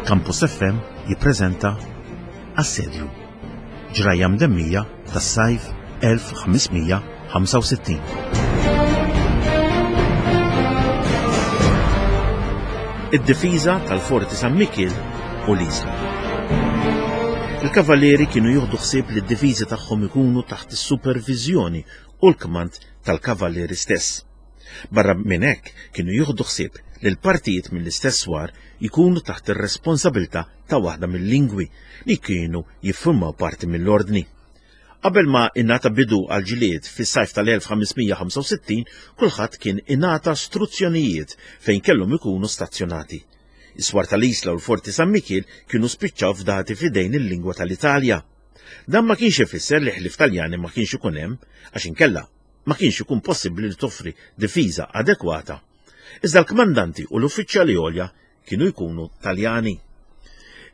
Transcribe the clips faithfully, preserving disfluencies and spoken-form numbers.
Campus F M jippreżenta Assedju, ġrajja mdemmija tas-sajf elf ħames mija ħamsa u sittin. Id-difiża tal-Forti San Mikiel u l-Isla. Il-kavallieri kienu jieħdu ħsieb li d-difiżi tagħhom ikunu taħt is-superviżjoni u l-kmand tal-kavallieri stess. Barra minn hekk kienu jieħdu ħsieb li l-partijiet mill-istess swar jkunu taħt ir-responsabilità ta' waħda mill-lingwi li kienu jiffurmaw parti mill-ordni. Qabel ma ingħata bidu għal ġlied fis-sajf tal-elf ħames mija ħamsa u sittin, kulħadd kien ingħata struzzjonijiet fejn kellhom ikunu stazzjonati. Is-swar tal-Isla u l-Forti San Mikiel kienu spiċċaw fdati f'idejn il-lingwa tal-Italja. Dan ma kienx ifisser li ħlief Taljani ma kienx ikun hemm, għax inkella ma kienx ikun possibbli li toffri difiża adekwata. Iżda l-kmandanti u l-uffiċjali għolja kienu jkunu Taljani.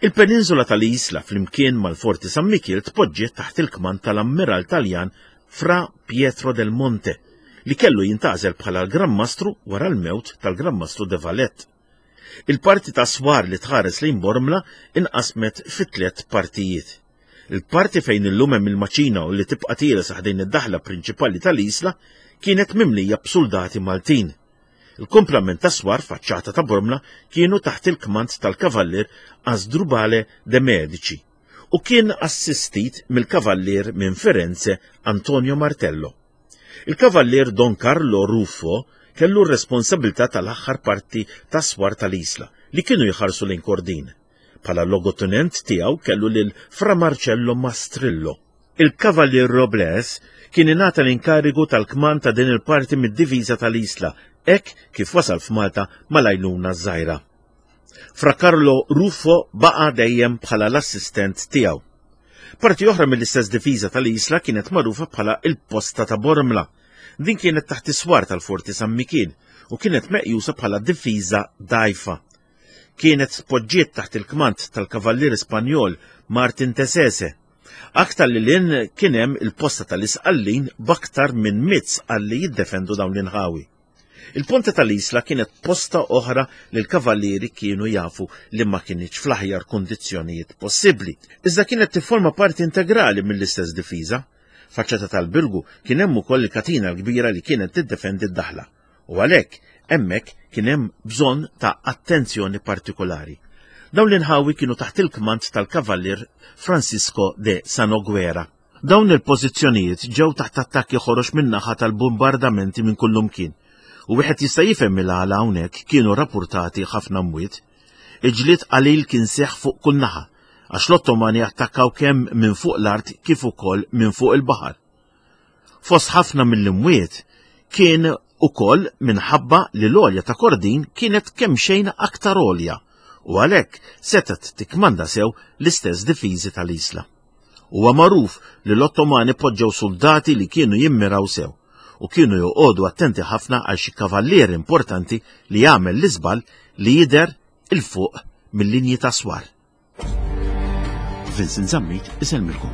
Il-peninsula tal-Isla flimkien mal-Forti San Mikiel tpoġġiet taħt il-kmand tal-Ammiral Taljan Fra Pietro del Monte, li kellu jintgħażel bħala l-Gran Mastru wara l-mewt tal-Gran Mastru de Valette. Il-parti ta' swar li tħares lejn Bormla inqasmet fi tliet partijiet. Il-parti fejn illum hemm il-maċina u li tibqa' tiela sa ħdejn id-daħla prinċipali tal-Isla kienet mimlija b'soldati Maltin. Il-komplament ta' swar faċċata ta' Bormla kienu taħt il-kmand tal-kavallier Asdrubale de Medici u kien assistit mill-kavallier minn Firenze Antonio Martello. Il-kavallier Don Carlo Ruffo kellu r-responsabilità tal-aħħar parti ta' swar tal-Isla li kienu jħarsu lejn Kordin. Bħala logotenent tiegħu kellu lil Fra Marcello Mastrillo. Il-Kavallier Robles kien ingħata l-inkarigu tal-kmand ta' din il-parti mid-diviża tal-Isla, hekk kif wasal f'Malta mal-għajnuna żgħira. Fra Carlo Ruffo baqa' dejjem bħala l-assistent tiegħu. Parti oħra mill-istess diviża tal-Isla kienet magħrufa bħala il-Posta ta' Bormla. Din kienet taħt is-swar tal-Forti San Mikiel u kienet meqjusa bħala difiża dgħajfa. Kienet tpoġġiet taħt il-kmand tal-Kavallier Spanjol Martin Tesese. Aktar li lin kien hemm il-posta tal-Isqallin b'aktar minn mitt sqalli jiddefendu dawn l-inħawi. Il-ponta tal-Isla kienet posta oħra li l-kavallieri kienu jafu li ma kinitx fl-aħjar kundizzjonijiet possibbli, iżda kienet tifforma parti integrali mill-istess difiża. Faċċata tal-Birgu kien hemm ukoll il-katina l-kbira li kienet tiddefendi d-daħla, u għalhekk hemmhekk kien hemm bżonn ta' attenzjoni partikolari. Dawn l-inħawi kienu taħt il-kmand tal-Kavallier Francisco de Sanoguera. Dawn il-pożizzjonijiet ġew taħt attakki ħorox min-naħa tal-bombardamenti minn kullumkien, u wieħed jista' jifhem il-għala hawnhekk kienu rappurtati ħafna mwiet. Il-ġlied qalil kien seħħ fuq kull naħa, għax l-Ottomani attakkaw kemm minn fuq l-art kif ukoll minn fuq il-baħar. Fost ħafna mill-imwiet kien ukoll minħabba li l-għolja ta' Kordin kienet kemm xejn aktar għolja u għalhekk setgħet tikkmanda sew l-istess difiżi tal-Isla. Huwa magħruf li l-Ottomani poġġew soldati li kienu jimmiraw sew u kienu joqogħdu attenti ħafna għal xi kavallier importanti li jagħmel l-iżball li jidher il fuq mill-linji ta' swar. Vincent Zammit isellmilkom.